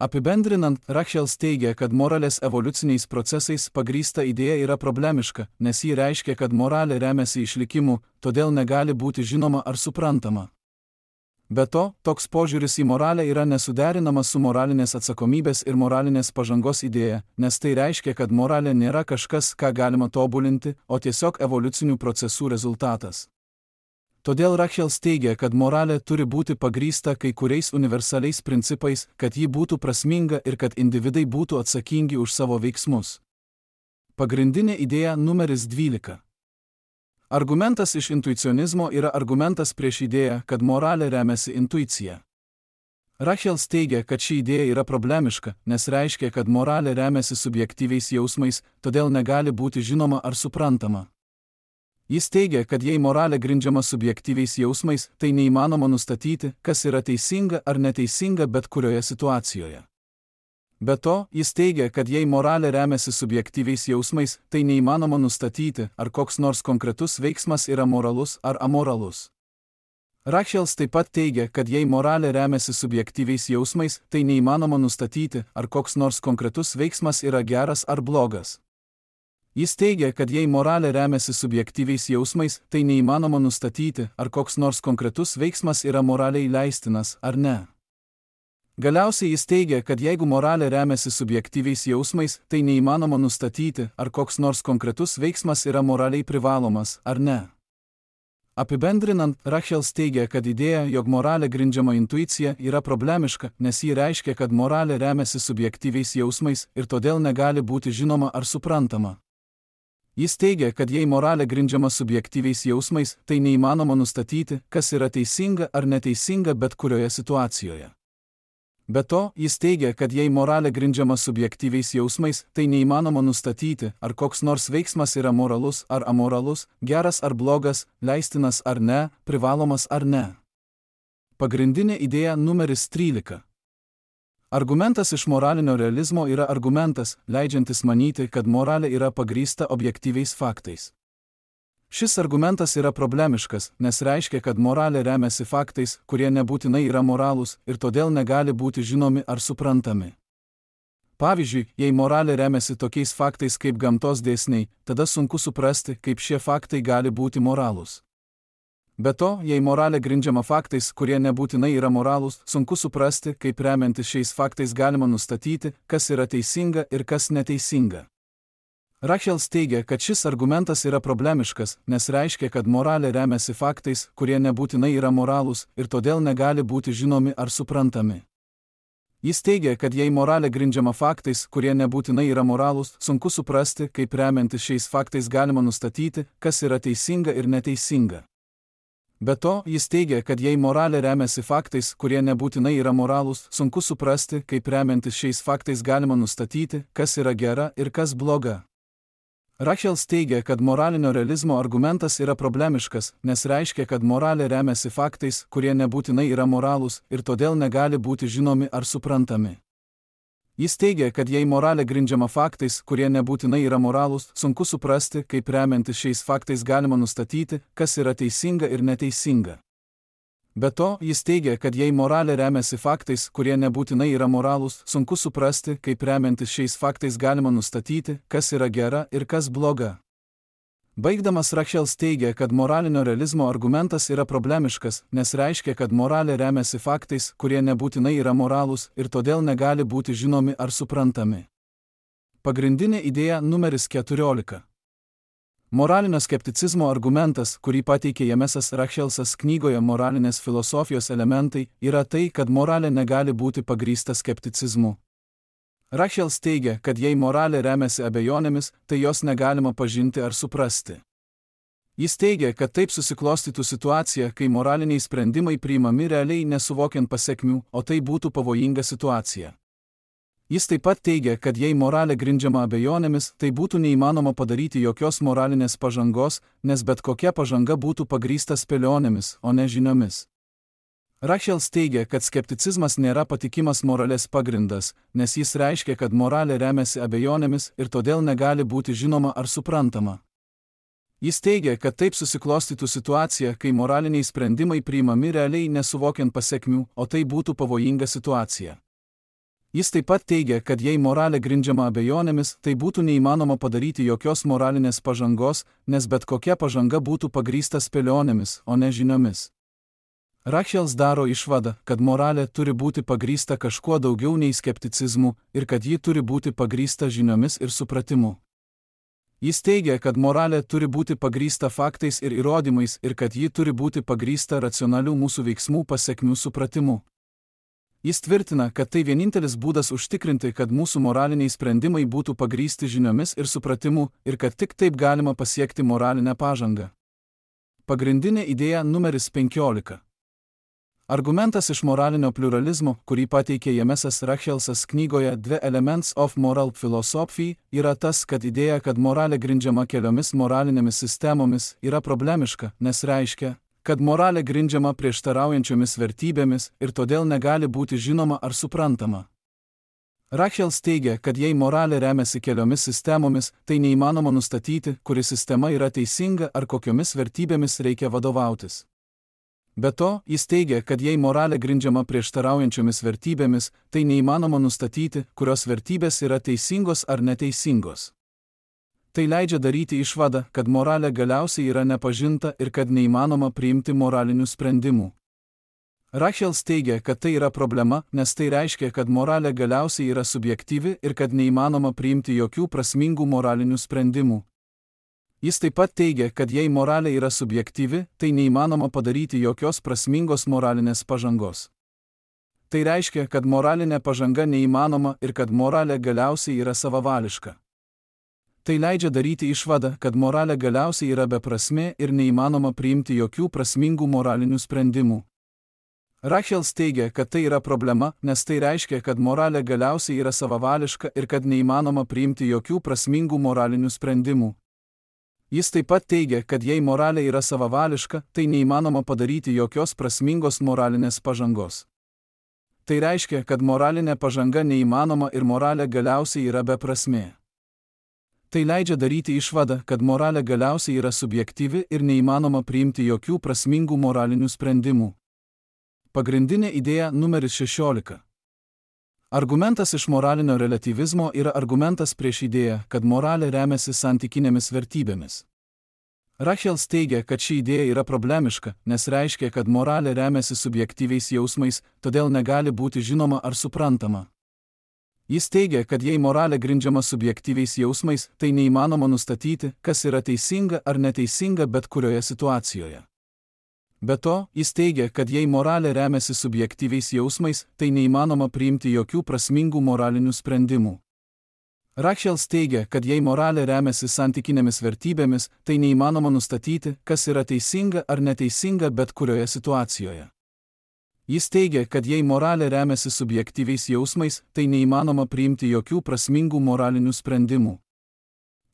Apibendrinant, Rachel teigia, kad moralės evoliuciniais procesais pagrįsta idėja yra problemiška, nes ji reiškia, kad moralė remiasi išlikimu, todėl negali būti žinoma ar suprantama. Be to, toks požiūris į moralę yra nesuderinamas su moralinės atsakomybės ir moralinės pažangos idėja, nes tai reiškia, kad moralė nėra kažkas, ką galima tobulinti, o tiesiog evoliucinių procesų rezultatas. Todėl Rachel teigia, kad moralė turi būti pagrįsta kai kuriais universaliais principais, kad ji būtų prasminga ir kad individai būtų atsakingi už savo veiksmus. Pagrindinė idėja numeris dvylika. Argumentas iš intuicionizmo yra argumentas prieš idėją, kad moralė remiasi intuicija. Rachel teigia, kad ši idėja yra problemiška, nes reiškia, kad moralė remiasi subjektyviais jausmais, todėl negali būti žinoma ar suprantama. Jis teigia, kad jei moralė grindžiama subjektyviais jausmais, tai neįmanoma nustatyti, kas yra teisinga ar neteisinga bet kurioje situacijoje. Be to, jis teigia, kad jei moralė remiasi subjektyviais jausmais, tai neįmanoma nustatyti, ar koks nors konkretus veiksmas yra moralus ar amoralus. Rachel taip pat teigia, kad jei moralė remiasi subjektyviais jausmais, tai neįmanoma nustatyti, ar koks nors konkretus veiksmas yra geras ar blogas. Jis teigia, kad jei moralė remiasi subjektyviais jausmais, tai neįmanoma nustatyti, ar koks nors konkretus veiksmas yra moraliai leistinas ar ne. Galiausiai jis teigia, kad jeigu moralė remiasi subjektyviais jausmais, tai neįmanoma nustatyti, ar koks nors konkretus veiksmas yra moraliai privalomas ar ne. Apibendrinant, Rachel teigia, kad idėja, jog moralė grindžiama intuicija, yra problemiška, nes ji reiškia, kad moralė remiasi subjektyviais jausmais ir todėl negali būti žinoma ar suprantama. Jis teigia, kad jei moralė grindžiama subjektyviais jausmais, tai neįmanoma nustatyti, kas yra teisinga ar neteisinga bet kurioje situacijoje. Be to, jis teigia, kad jei moralė grindžiama subjektyviais jausmais, tai neįmanoma nustatyti, ar koks nors veiksmas yra moralus ar amoralus, geras ar blogas, leistinas ar ne, privalomas ar ne. Pagrindinė idėja numeris trylika. Argumentas iš moralinio realizmo yra argumentas, leidžiantis manyti, kad moralė yra pagrįsta objektyviais faktais. Šis argumentas yra problemiškas, nes reiškia, kad moralė remiasi faktais, kurie nebūtinai yra moralūs ir todėl negali būti žinomi ar suprantami. Pavyzdžiui, jei moralė remiasi tokiais faktais kaip gamtos dėsniai, tada sunku suprasti, kaip šie faktai gali būti moralūs. Be to, jei moralė grindžiama faktais, kurie nebūtinai yra moralūs, sunku suprasti, kaip remiantis šiais faktais galima nustatyti, kas yra teisinga ir kas neteisinga. Rachel teigia, kad šis argumentas yra problemiškas, nes reiškia, kad moralė remiasi faktais, kurie nebūtinai yra moralūs ir todėl negali būti žinomi ar suprantami. Jis teigia, kad jei moralė grindžiama faktais, kurie nebūtinai yra moralūs, sunku suprasti, kaip remiantis šiais faktais galima nustatyti, kas yra teisinga ir neteisinga. Be to, jis teigia, kad jei moralė remiasi faktais, kurie nebūtinai yra moralūs, sunku suprasti, kaip remiantis šiais faktais galima nustatyti, kas yra gera ir kas bloga. Rachels teigia, kad moralinio realizmo argumentas yra problemiškas, nes reiškia, kad moralė remiasi faktais, kurie nebūtinai yra moralūs ir todėl negali būti žinomi ar suprantami. Jis teigia, kad jei moralė grindžiama faktais, kurie nebūtinai yra moralūs, sunku suprasti, kaip remiantis šiais faktais galima nustatyti, kas yra teisinga ir neteisinga. Be to, jis teigia, kad jei moralė remiasi faktais, kurie nebūtinai yra moralūs, sunku suprasti, kaip remiantis šiais faktais galima nustatyti, kas yra gera ir kas bloga. Baigdamas Rachels teigia, kad moralinio realizmo argumentas yra problemiškas, nes reiškia, kad moralė remiasi faktais, kurie nebūtinai yra moralūs ir todėl negali būti žinomi ar suprantami. Pagrindinė idėja numeris keturiolika. Moralinio skepticizmo argumentas, kurį pateikė Jamesas Rachelsas knygoje Moralinės filosofijos elementai, yra tai, kad moralė negali būti pagrįsta skepticizmu. Rachels teigia, kad jei moralė remiasi abejonėmis, tai jos negalima pažinti ar suprasti. Jis teigia, kad taip susiklostytų situacija, kai moraliniai sprendimai priimami realiai nesuvokiant pasekmių, o tai būtų pavojinga situacija. Jis taip pat teigia, kad jei moralė grindžiama abejonėmis, tai būtų neįmanoma padaryti jokios moralinės pažangos, nes bet kokia pažanga būtų pagrįsta spėlionėmis, o ne žiniomis. Rachels teigia, kad skepticizmas nėra patikimas moralės pagrindas, nes jis reiškia, kad moralė remiasi abejonėmis ir todėl negali būti žinoma ar suprantama. Jis teigia, kad taip susiklostytų situacija, kai moraliniai sprendimai priimami realiai nesuvokiant pasekmių, o tai būtų pavojinga situacija. Jis taip pat teigia, kad jei moralė grindžiama abejonėmis, tai būtų neįmanoma padaryti jokios moralinės pažangos, nes bet kokia pažanga būtų pagrįsta spėlionėmis, o ne žiniomis. Rachels daro išvadą, kad moralė turi būti pagrįsta kažkuo daugiau nei skepticizmu ir kad ji turi būti pagrįsta žiniomis ir supratimu. Jis teigia, kad moralė turi būti pagrįsta faktais ir įrodymais ir kad ji turi būti pagrįsta racionalių mūsų veiksmų pasekmių supratimu. Jis tvirtina, kad tai vienintelis būdas užtikrinti, kad mūsų moraliniai sprendimai būtų pagrįsti žiniomis ir supratimu ir kad tik taip galima pasiekti moralinę pažangą. Pagrindinė idėja numeris penkiolika. Argumentas iš moralinio pliuralizmo, kurį pateikė Jamesas Rachelsas knygoje The Elements of Moral Philosophy, yra tas, kad idėja, kad moralė grindžiama keliomis moralinėmis sistemomis, yra problemiška, nes reiškia, kad moralė grindžiama prieštaraujančiomis vertybėmis ir todėl negali būti žinoma ar suprantama. Rachels teigia, kad jei moralė remiasi keliomis sistemomis, tai neįmanoma nustatyti, kuri sistema yra teisinga ar kokiomis vertybėmis reikia vadovautis. Be to, jis teigia, kad jei moralė grindžiama prieštaraujančiomis vertybėmis, tai neįmanoma nustatyti, kurios vertybės yra teisingos ar neteisingos. Tai leidžia daryti išvadą, kad moralė galiausiai yra nepažinta ir kad neįmanoma priimti moralinių sprendimų. Rachels teigia, kad tai yra problema, nes tai reiškia, kad moralė galiausiai yra subjektyvi ir kad neįmanoma priimti jokių prasmingų moralinių sprendimų. Jis taip pat teigia, kad jei moralė yra subjektyvi, tai neįmanoma padaryti jokios prasmingos moralinės pažangos. Tai reiškia, kad moralinė pažanga neįmanoma ir kad moralė galiausiai yra savavališka. Tai leidžia daryti išvadą, kad moralė galiausiai yra beprasmė ir neįmanoma priimti jokių prasmingų moralinių sprendimų. Rachels teigia, kad tai yra problema, nes tai reiškia, kad moralė galiausiai yra savavališka ir kad neįmanoma priimti jokių prasmingų moralinių sprendimų. Jis taip pat teigia, kad jei moralė yra savavališka, tai neįmanoma padaryti jokios prasmingos moralinės pažangos. Tai reiškia, kad moralinė pažanga neįmanoma ir moralė galiausiai yra beprasmė. Tai leidžia daryti išvadą, kad moralė galiausiai yra subjektyvi ir neįmanoma priimti jokių prasmingų moralinių sprendimų. Pagrindinė idėja numeris šešiolika. Argumentas iš moralinio relatyvizmo yra argumentas prieš idėją, kad moralė remiasi santykinėmis vertybėmis. Rachels teigia, kad ši idėja yra problemiška, nes reiškia, kad moralė remiasi subjektyviais jausmais, todėl negali būti žinoma ar suprantama. Jis teigia, kad jei moralė grindžiama subjektyviais jausmais, tai neįmanoma nustatyti, kas yra teisinga ar neteisinga bet kurioje situacijoje. Be to, jis teigia, kad jei moralė remiasi subjektyviais jausmais, tai neįmanoma priimti jokių prasmingų moralinių sprendimų. Rachels teigia, kad jei moralė remiasi santykinėmis vertybėmis, tai neįmanoma nustatyti, kas yra teisinga ar neteisinga bet kurioje situacijoje. Jis teigia, kad jei moralė remiasi subjektyviais jausmais, tai neįmanoma priimti jokių prasmingų moralinių sprendimų.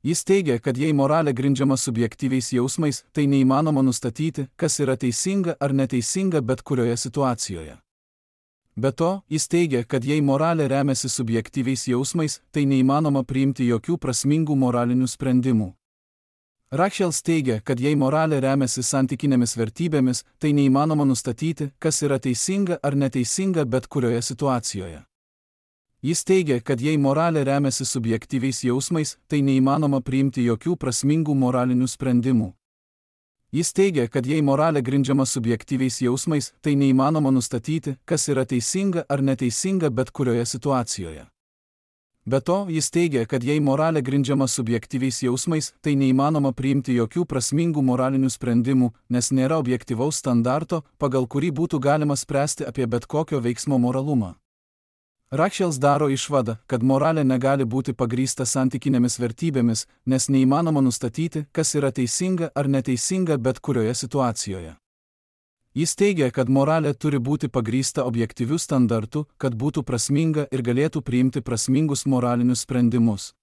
Jis teigia, kad jei moralė grindžiama subjektyviais jausmais, tai neįmanoma nustatyti, kas yra teisinga ar neteisinga bet kurioje situacijoje. Be to, jis teigia, kad jei moralė remiasi subjektyviais jausmais, tai neįmanoma priimti jokių prasmingų moralinių sprendimų. Rachels teigia, kad jei moralė remiasi santykinėmis vertybėmis, tai neįmanoma nustatyti, kas yra teisinga ar neteisinga bet kurioje situacijoje. Jis teigia, kad jei moralė remiasi subjektyviais jausmais, tai neįmanoma priimti jokių prasmingų moralinių sprendimų. Jis teigia, kad jei moralė grindžiama subjektyviais jausmais, tai neįmanoma nustatyti, kas yra teisinga ar neteisinga bet kurioje situacijoje. Be to, jis teigia, kad jei moralė grindžiama subjektyviais jausmais, tai neįmanoma priimti jokių prasmingų moralinių sprendimų, nes nėra objektyvaus standarto, pagal kurį būtų galima spręsti apie bet kokio veiksmo moralumą. Rachels daro išvadą, kad moralė negali būti pagrįsta santykinėmis vertybėmis, nes neįmanoma nustatyti, kas yra teisinga ar neteisinga bet kurioje situacijoje. Jis teigia, kad moralė turi būti pagrįsta objektyviu standartu, kad būtų prasminga ir galėtų priimti prasmingus moralinius sprendimus.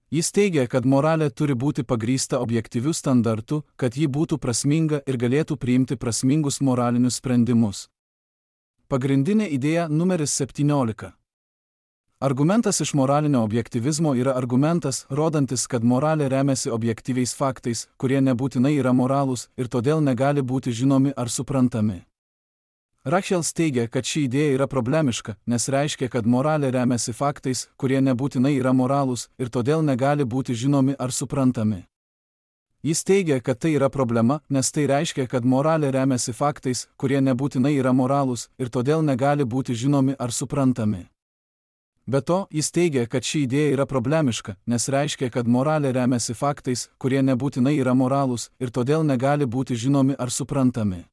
Jis teigia, kad moralė turi būti pagrįsta objektyviu standartu, kad ji būtų prasminga ir galėtų priimti prasmingus moralinius sprendimus. Pagrindinė idėja numeris septyniolika. Argumentas iš moralinio objektyvizmo yra argumentas, rodantis, kad moralė remiasi objektyviais faktais, kurie nebūtinai yra moralūs ir todėl negali būti žinomi ar suprantami. Rachels teigia, kad ši idėja yra problemiška, nes reiškia, kad moralė remiasi faktais, kurie nebūtinai yra moralūs ir todėl negali būti žinomi ar suprantami. Jis teigia, kad tai yra problema, nes tai reiškia, kad moralė remiasi faktais, kurie nebūtinai yra moralūs ir todėl negali būti žinomi ar suprantami. Be to, jis teigia, kad ši idėja yra problemiška, nes reiškia, kad moralė remiasi faktais, kurie nebūtinai yra moralūs ir todėl negali būti žinomi ar suprantami.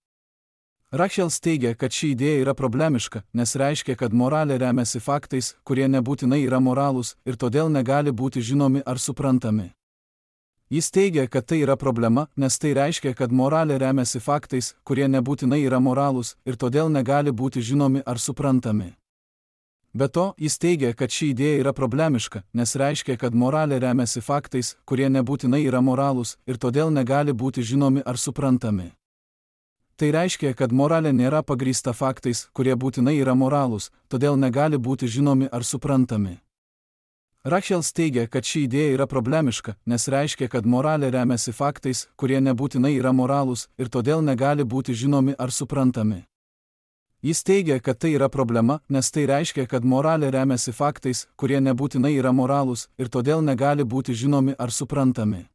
Rachels teigia, kad ši idėja yra problemiška, nes reiškia, kad moralė remiasi faktais, kurie nebūtinai yra moralūs ir todėl negali būti žinomi ar suprantami. Jis teigia, kad tai yra problema, nes tai reiškia, kad moralė remiasi faktais, kurie nebūtinai yra moralūs ir todėl negali būti žinomi ar suprantami. Be to, jis teigia, kad ši idėja yra problemiška, nes reiškia, kad moralė remiasi faktais, kurie nebūtinai yra moralūs ir todėl negali būti žinomi ar suprantami. Tai reiškia, kad moralė nėra pagrįsta faktais, kurie būtinai yra moralūs, todėl negali būti žinomi ar suprantami. Rachels teigia, kad ši idėja yra problemiška, nes reiškia, kad moralė remiasi faktais, kurie nebūtinai yra moralūs ir todėl negali būti žinomi ar suprantami. Jis teigia, kad tai yra problema, nes tai reiškia, kad moralė remiasi faktais, kurie nebūtinai yra moralūs ir todėl negali būti žinomi ar suprantami.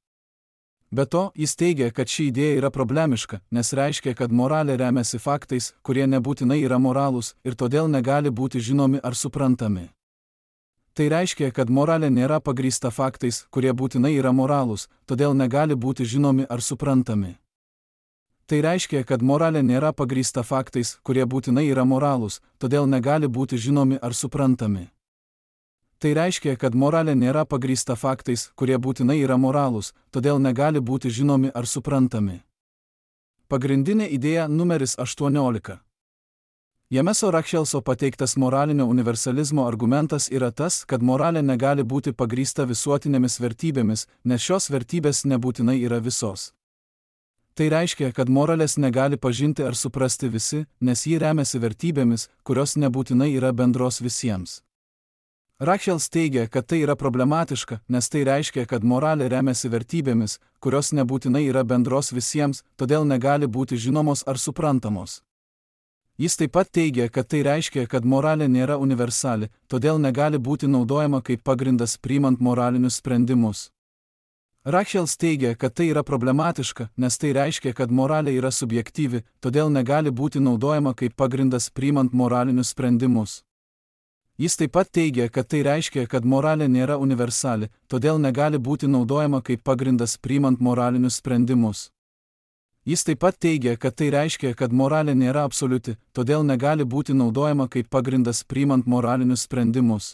Be to, jis teigia, kad ši idėja yra problemiška, nes reiškia, kad moralė remiasi faktais, kurie nebūtinai yra moralūs ir todėl negali būti žinomi ar suprantami. Tai reiškia, kad moralė nėra pagrįsta faktais, kurie būtinai yra moralūs, todėl negali būti žinomi ar suprantami. Tai reiškia, kad moralė nėra pagrįsta faktais, kurie būtinai yra moralūs, todėl negali būti žinomi ar suprantami. Tai reiškia, kad moralė nėra pagrįsta faktais, kurie būtinai yra moralūs, todėl negali būti žinomi ar suprantami. Pagrindinė idėja numeris aštuoniolika. Jameso Rachelso pateiktas moralinio universalizmo argumentas yra tas, kad moralė negali būti pagrįsta visuotinėmis vertybėmis, nes šios vertybės nebūtinai yra visos. Tai reiškia, kad moralės negali pažinti ar suprasti visi, nes ji remiasi vertybėmis, kurios nebūtinai yra bendros visiems. Rachels teigia, kad tai yra problematiška, nes tai reiškia, kad moralė remiasi vertybėmis, kurios nebūtinai yra bendros visiems, todėl negali būti žinomos ar suprantamos. Jis taip pat teigia, kad tai reiškia, kad moralė nėra universali, todėl negali būti naudojama kaip pagrindas priimant moralinius sprendimus. Rachels teigia, kad tai yra problematiška, nes tai reiškia, kad moralė yra subjektyvi, todėl negali būti naudojama kaip pagrindas priimant moralinius sprendimus. Jis taip pat teigia, kad tai reiškia, kad moralė nėra universali, todėl negali būti naudojama kaip pagrindas priimant moralinius sprendimus. Jis taip pat teigia, kad tai reiškia, kad moralė nėra absoliuti, todėl negali būti naudojama kaip pagrindas priimant moralinius sprendimus.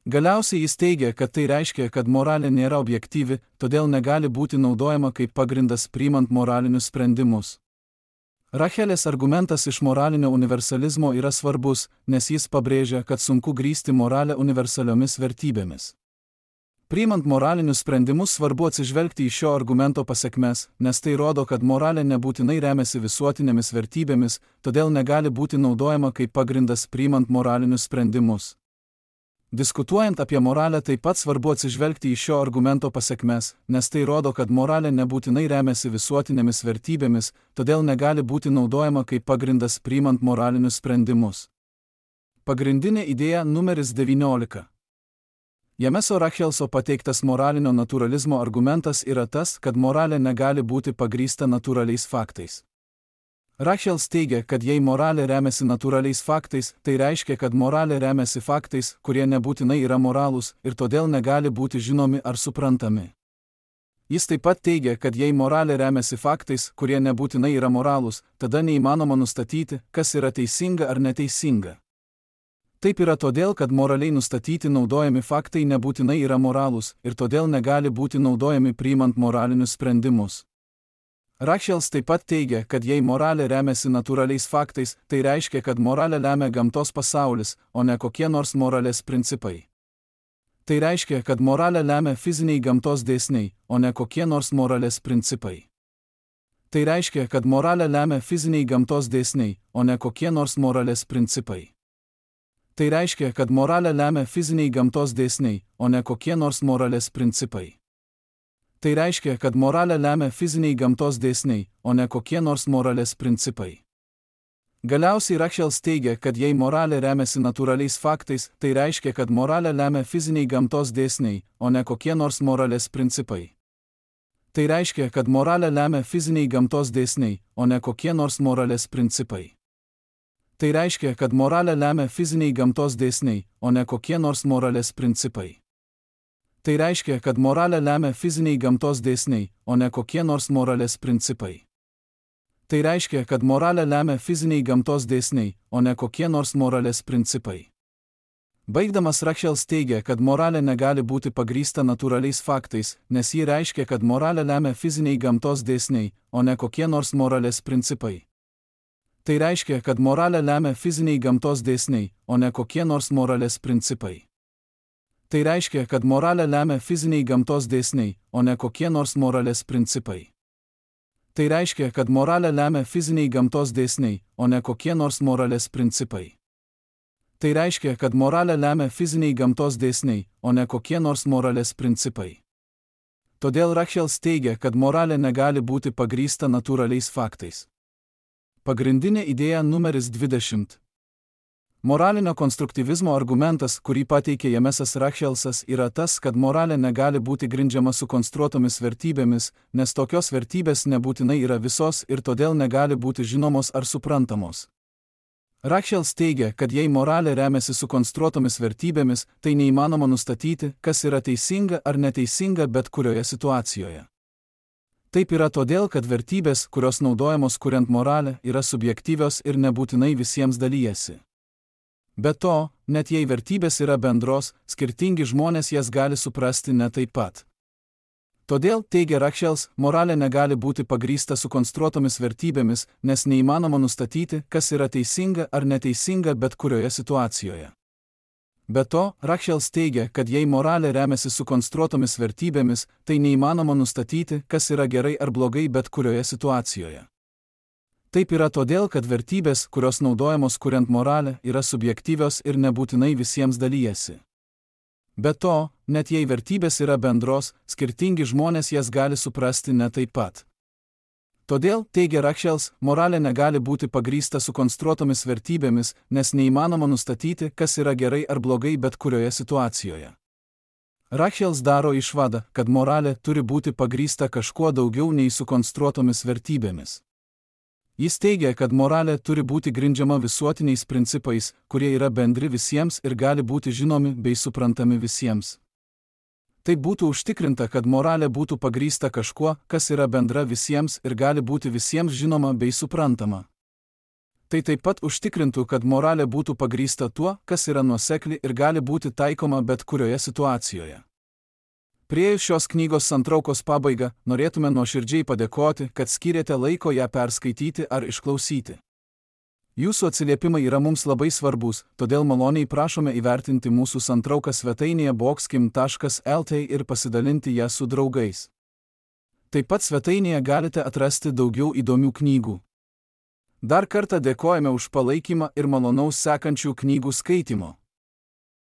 Galiausiai jis teigia, kad tai reiškia, kad moralė nėra objektyvi, todėl negali būti naudojama kaip pagrindas priimant moralinius sprendimus. Rachelės argumentas iš moralinio universalizmo yra svarbus, nes jis pabrėžia, kad sunku grįsti moralę universaliomis vertybėmis. Priimant moralinius sprendimus svarbu atsižvelgti į šio argumento pasekmes, nes tai rodo, kad moralė nebūtinai remiasi visuotinėmis vertybėmis, todėl negali būti naudojama kaip pagrindas priimant moralinius sprendimus. Diskutuojant apie moralę taip pat svarbu atsižvelgti į šio argumento pasekmes, nes tai rodo, kad moralė nebūtinai remiasi visuotinėmis vertybėmis, todėl negali būti naudojama kaip pagrindas priimant moralinius sprendimus. Pagrindinė idėja numeris devyniolika. Jameso Rachelso pateiktas moralinio naturalizmo argumentas yra tas, kad moralė negali būti pagrįsta natūraliais faktais. Rachels teigia, kad jei moralė remiasi natūraliais faktais, tai reiškia, kad moralė remiasi faktais, kurie nebūtinai yra moralūs ir todėl negali būti žinomi ar suprantami. Jis taip pat teigia, kad jei moralė remiasi faktais, kurie nebūtinai yra moralūs, tada neįmanoma nustatyti, kas yra teisinga ar neteisinga. Taip yra todėl, kad moraliai nustatyti naudojami faktai nebūtinai yra moralūs ir todėl negali būti naudojami priimant moralinius sprendimus. Rachels taip pat teigia, kad jei moralė remiasi natūraliais faktais, tai reiškia, kad moralę lemia gamtos pasaulis, o ne kokie nors moralės principai. Tai reiškia, kad moralę lemia fiziniai gamtos dėsniai, o ne kokie nors moralės principai. Tai reiškia, kad moralę lemia fiziniai gamtos dėsniai, o ne kokie nors moralės principai. Tai reiškia, kad moralę lemia fiziniai gamtos dėsniai, o ne kokie nors moralės principai. Tai reiškia, kad moralę lemia fiziniai gamtos dėsniai, o ne kokie nors moralės principai. Galiausiai Rachels teigia, kad jei moralė remiasi natūraliais faktais, tai reiškia, kad moralę lemia fiziniai gamtos dėsniai, o ne kokie nors moralės principai. Tai reiškia, kad moralę lemia fiziniai gamtos dėsniai, o ne kokie nors moralės principai. Tai reiškia, kad moralę lemia fiziniai gamtos dėsniai, o ne kokie nors moralės principai. Tai reiškia, kad moralę lemia fiziniai gamtos dėsniai, o ne kokie nors moralės principai. Tai reiškia, kad moralę lemia fiziniai gamtos dėsniai, o ne kokie nors moralės principai. Baigdamas Rachels teigia, kad moralė negali būti pagrįsta natūraliais faktais, nes ji reiškia, kad moralę lemia fiziniai gamtos dėsniai, o ne kokie nors moralės principai. Tai reiškia, kad moralę lemia fiziniai gamtos dėsniai, o ne kokie nors moralės principai. Tai reiškia, kad moralę lemia fiziniai gamtos dėsniai, o ne kokie nors moralės principai. Tai reiškia, kad moralę lemia fiziniai gamtos dėsniai, o ne kokie nors moralės principai. Tai reiškia, kad moralę lemia fiziniai gamtos dėsniai, o ne kokie nors moralės principai. Todėl Rachels teigia, kad moralė negali būti pagrįsta natūraliais faktais. Pagrindinė idėja numeris dvidešimt. Moralinio konstruktyvizmo argumentas, kurį pateikė Jamesas Rachelsas, yra tas, kad moralė negali būti grindžiama sukonstruotomis vertybėmis, nes tokios vertybės nebūtinai yra visos ir todėl negali būti žinomos ar suprantamos. Rachels teigia, kad jei moralė remiasi sukonstruotomis vertybėmis, tai neįmanoma nustatyti, kas yra teisinga ar neteisinga bet kurioje situacijoje. Taip yra todėl, kad vertybės, kurios naudojamos kuriant moralę, yra subjektyvios ir nebūtinai visiems dalyjasi. Be to, net jei vertybės yra bendros, skirtingi žmonės jas gali suprasti ne taip pat. Todėl, teigia Rachels, moralė negali būti pagrįsta sukonstruotomis vertybėmis, nes neįmanoma nustatyti, kas yra teisinga ar neteisinga bet kurioje situacijoje. Be to, Rachels teigia, kad jei moralė remiasi sukonstruotomis vertybėmis, tai neįmanoma nustatyti, kas yra gerai ar blogai bet kurioje situacijoje. Taip yra todėl, kad vertybės, kurios naudojamos kuriant moralę, yra subjektyvios ir nebūtinai visiems dalyjasi. Be to, net jei vertybės yra bendros, skirtingi žmonės jas gali suprasti ne taip pat. Todėl, teigia Rachels, moralė negali būti pagrįsta sukonstruotomis vertybėmis, nes neįmanoma nustatyti, kas yra gerai ar blogai bet kurioje situacijoje. Rachels daro išvadą, kad moralė turi būti pagrįsta kažkuo daugiau nei sukonstruotomis vertybėmis. Jis teigia, kad moralė turi būti grindžiama visuotiniais principais, kurie yra bendri visiems ir gali būti žinomi bei suprantami visiems. Tai būtų užtikrinta, kad moralė būtų pagrįsta kažkuo, kas yra bendra visiems ir gali būti visiems žinoma bei suprantama. Tai taip pat užtikrintų, kad moralė būtų pagrįsta tuo, kas yra nuosekli ir gali būti taikoma bet kurioje situacijoje. Priėjus šios knygos santraukos pabaigą, norėtume nuoširdžiai padėkoti, kad skyrėte laiko ją perskaityti ar išklausyti. Jūsų atsiliepimai yra mums labai svarbus, todėl maloniai prašome įvertinti mūsų santrauką svetainėje boxkim taškas el t ir pasidalinti ją su draugais. Taip pat svetainėje galite atrasti daugiau įdomių knygų. Dar kartą dėkojame už palaikymą ir malonaus sekančių knygų skaitimo.